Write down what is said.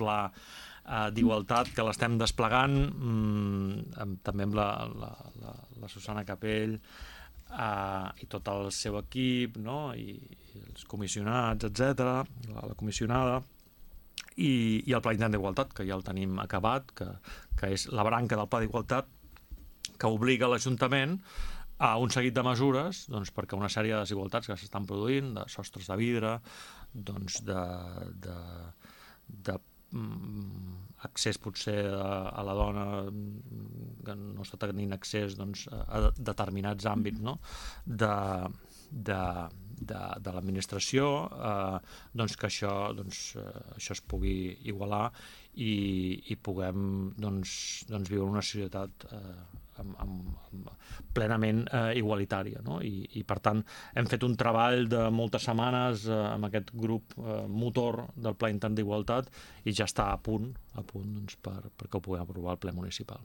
pla d'igualtat que l'estem desplegant, també amb la Susana Capell i tot el seu equip, no? I els comissionats, etc., la comissionada, i el Pla Intern d'Igualtat, que ja el tenim acabat, que és la branca del Pla d'Igualtat que obliga l'Ajuntament a un seguit de mesures, doncs, perquè una sèrie de desigualtats que s'estan produint, de sostres de vidre, doncs, de accés potser a la dona que no està tenint accés, doncs, a determinats àmbits, no? de l'administració, doncs que això es pugui igualar i puguem viure una societat plenament igualitària, no? I per tant hem fet un treball de moltes setmanes amb aquest grup motor del Pla Intern d'Igualtat i ja està a punt doncs, perquè ho puguem aprovar al ple municipal.